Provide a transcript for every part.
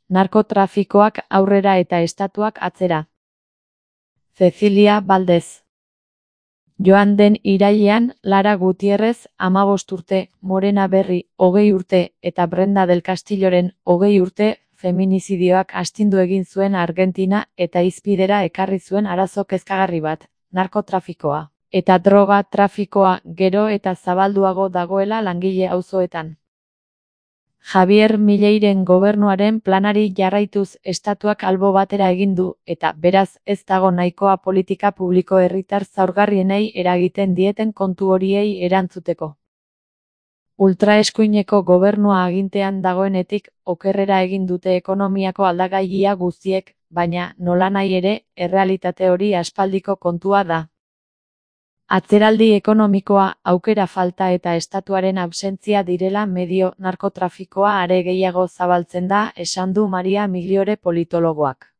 Narkotrafikoak aurrera eta estatuak atzera. Cecilia Valdez. Joan den irailean, Lara Gutierrez, 15 urte, Morena Berri, 20 urte, eta Brenda del Castilloren, 20 urte, feminizidioak astindu egin zuen Argentina eta hizpidera ekarri zuen arazo kezkagarri bat, narkotrafikoa. Eta droga trafikoa gero eta zabalduago dagoela langile auzoetan. Javier Mileiren gobernuaren planari jarraituz estatuak albo batera egin du, eta beraz ez dago nahikoa politika publiko herritar zaurgarrienei eragiten dieten kontu horiei erantzuteko. Ultraeskuineko gobernua agintean dagoenetik okerrera egin dute ekonomiako aldagailia guztiek, baina nolanahi ere, errealitate hori aspaldiko kontua da. Atzeraldi ekonomikoa, aukera falta eta estatuaren absentzia direla medio narkotrafikoa are gehiago zabaltzen da, esan du Maria Migliore politologoak.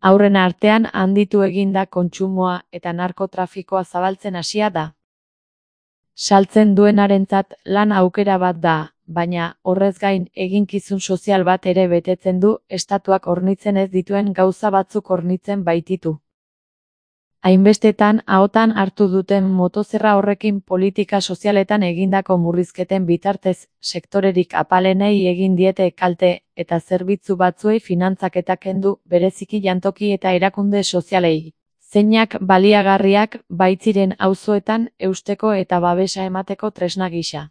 Aurren artean handitu egin da kontsumoa eta narkotrafikoa zabaltzen hasia da. Saltzen duenarentzat lan aukera bat da, baina horrez gain eginkizun sozial bat ere betetzen du, estatuak hornitzen ez dituen gauza batzuk hornitzen baititu. Hainbestetan ahotan hartu duten motozerra horrekin politika sozialetan egindako murrizketen bitartez, sektorerik apalenei egin diete kalte, eta zerbitzu batzuei finantzaketa kendu, bereziki jantoki eta erakunde sozialei. Zeinak baliagarriak baitziren auzoetan eusteko eta babesa emateko tresna gisa.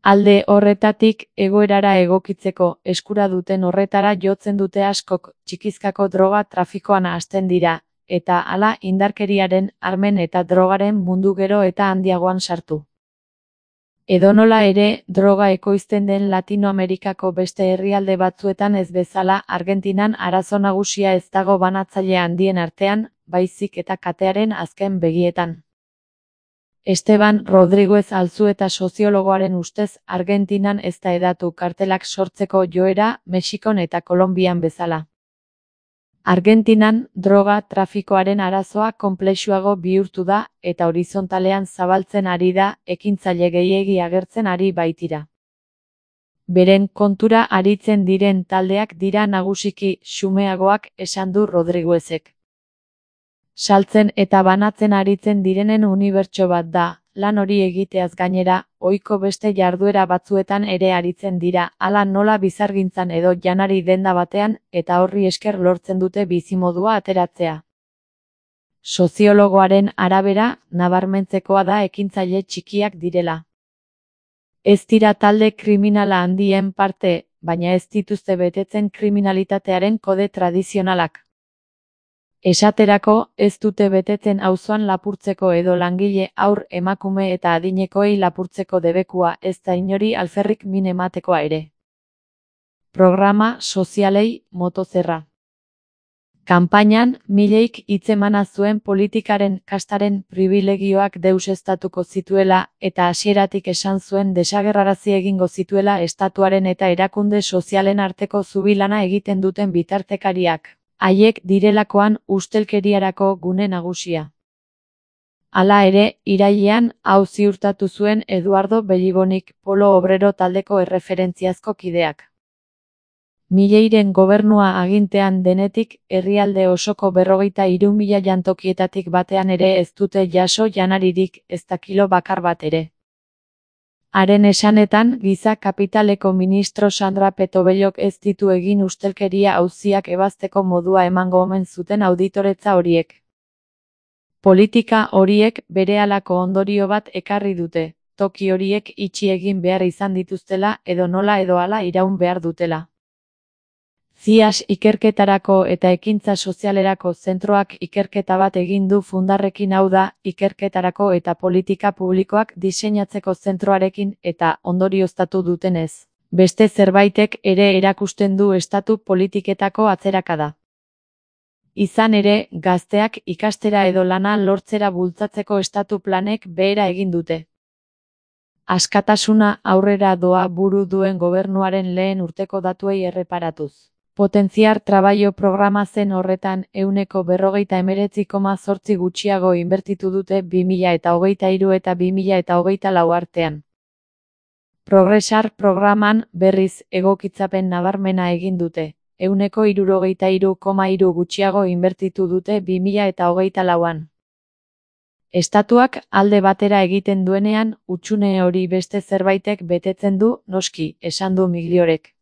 Alde horretatik, egoerara egokitzeko eskura duten horretara jotzen dute askok, txikizkako droga trafikoan hasten dira, eta hala indarkeriaren, armen eta drogaren mundu gero eta handiagoan sartu. Edonola ere, droga ekoizten den Latinoamerikako beste herrialde batzuetan ez bezala Argentinan arazo nagusia ez dago banatzaile handien artean, baizik eta katearen azken begietan. Esteban Rodriguez Alzueta soziologoaren ustez, Argentinan ez da hedatu kartelak sortzeko joera, Mexikon eta Kolonbian bezala. Argentinan, droga trafikoaren arazoa konplexuago bihurtu da, eta horizontalean zabaltzen ari da, ekintzaile gehiegi agertzen ari baitira. Beren kontura aritzen diren taldeak dira nagusiki xumeagoak, esan du Rodriguezek. Saltzen eta banatzen aritzen direnen unibertso bat da, lan hori egiteaz gainera, ohiko beste jarduera batzuetan ere aritzen dira, hala nola bizargintzan edo janari denda batean, eta horri esker lortzen dute bizimodua ateratzea. Soziologoaren arabera, nabarmentzekoa da ekintzaile txikiak direla. Ez dira talde kriminala handien parte, baina ez dituzte betetzen kriminalitatearen kode tradizionalak. Esaterako, ez dute betetzen auzoan lapurtzeko edo langile, haur, emakume eta adinekoei lapurtzeko debekua, ez da inori alferrik min ematekoa ere. Programa sozialei motozerra. Kanpainan, Mileik hitzemana zuen politikaren kastaren pribilegioak deuseztatuko zituela, eta hasieratik esan zuen desagerrarazi egingo zituela estatuaren eta erakunde sozialen arteko zubilana egiten duten bitartekariak. Haiek direlakoan ustelkeriarako gune nagusia. Hala ere, irailean, hau ziurtatu zuen Eduardo Bellibonik, Polo Obrero taldeko erreferentziazko kideak. Mileiren gobernua agintean denetik, herrialde osoko 53.000 jantokietatik batean ere ez dute jaso janaririk, ezta kilo bakar bat ere. Haren esanetan, giza kapitaleko ministro Sandra Petobellok ez ditu egin ustelkeria auziak ebazteko modua emango omen zuten auditoretza horiek. Politika horiek berehalako ondorio bat ekarri dute, toki horiek itxi egin behar izan dituztela edo nola edo hala iraun behar dutela. CIAS ikerketarako eta ekintza sozialerako zentroak ikerketa bat egin du fundarrekin, hau da, ikerketarako eta politika publikoak diseinatzeko zentroarekin eta ondorioztatu dutenez. Beste zerbaitek ere erakusten du estatu politiketako atzerakada. Izan ere, gazteak ikastera edo lana lortzera bultzatzeko estatu planek behera egin dute. Askatasuna aurrera doa buru duen gobernuaren lehen urteko datuei erreparatuz. Potentziar trabajo programa zen horretan 49,8% gutxiago inbertitu dute 2023 eta 2024 artean. Progresar programan, berriz, egokitzapen nabarmena egin dute. 73,3 gutxiago inbertitu dute 2024an. Estatuak alde batera egiten duenean, hutsune hori beste zerbaitek betetzen du, noski, esan du Migliorek.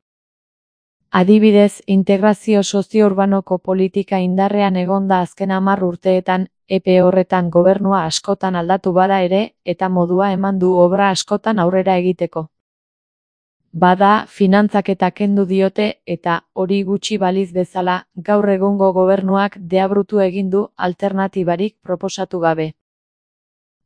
Adibidez, integrazio sozio-urbanoko politika indarrean egonda azken 10 urteetan, epe horretan gobernua askotan aldatu bada ere, eta modua eman du obra askotan aurrera egiteko. Bada, finantzaketa kendu diote, eta, hori gutxi baliz bezala, gaur egungo gobernuak deabrutu egin du alternatibarik proposatu gabe.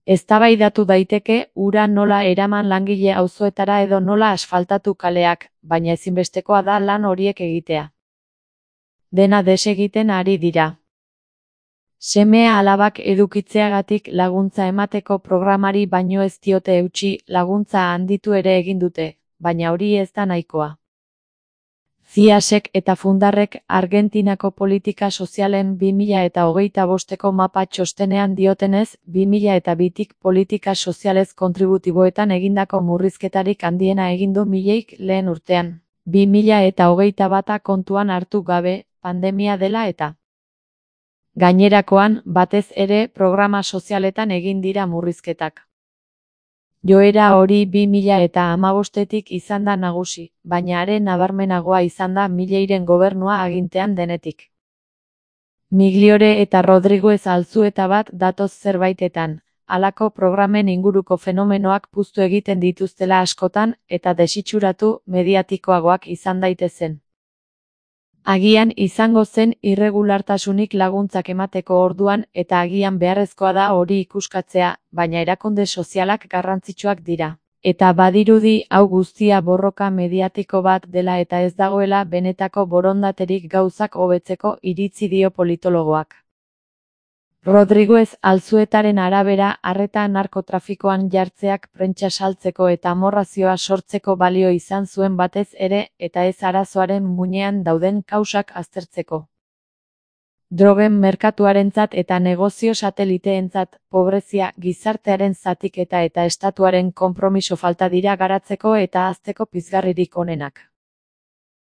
Eztabaidatu daiteke ura nola eraman langile auzoetara edo nola asfaltatu kaleak, baina ezinbestekoa da lan horiek egitea. Dena desegiten ari dira. Seme-alabak edukitzeagatik laguntza emateko programari baino ez diote eutsi, laguntza handitu ere egin dute, baina hori ez da nahikoa. CIASek eta Fundarrek Argentinako politika sozialen 2025ko mapa txostenean diotenez, 2002tik politika sozialez kontributiboetan egindako murrizketarik handiena egin du mileik lehen urtean. 2021 kontuan hartu gabe, pandemia dela eta. Gainerakoan, batez ere, programa sozialetan egin dira murrizketak. Joera hori 2015tik izan da nagusi, baina are nabarmenagoa izan da Milleiren gobernua agintean denetik. Migliore eta Rodriguez Alzueta bat datoz zerbaitetan, halako programen inguruko fenomenoak puztu egiten dituztela askotan eta desitxuratu mediatikoagoak izan daitezen. Agian izango zen irregulartasunik laguntzak emateko orduan eta agian beharrezkoa da hori ikuskatzea, baina erakunde sozialak garrantzitsuak dira. Eta badirudi hau guztia borroka mediatiko bat dela eta ez dagoela benetako borondaterik gauzak hobetzeko iritzi dio politologoak. Rodriguez Alzuetaren arabera, arreta narkotrafikoan jartzeak prentsa saltzeko eta amorrazioa sortzeko balio izan zuen batez ere, eta ez arazoaren muinean dauden kausak aztertzeko. Drogen merkatuarentzat eta negozio sateliteentzat, pobrezia, gizartearen zatiketa eta estatuaren konpromiso falta dira garatzeko eta hazteko pizgarririk onenak.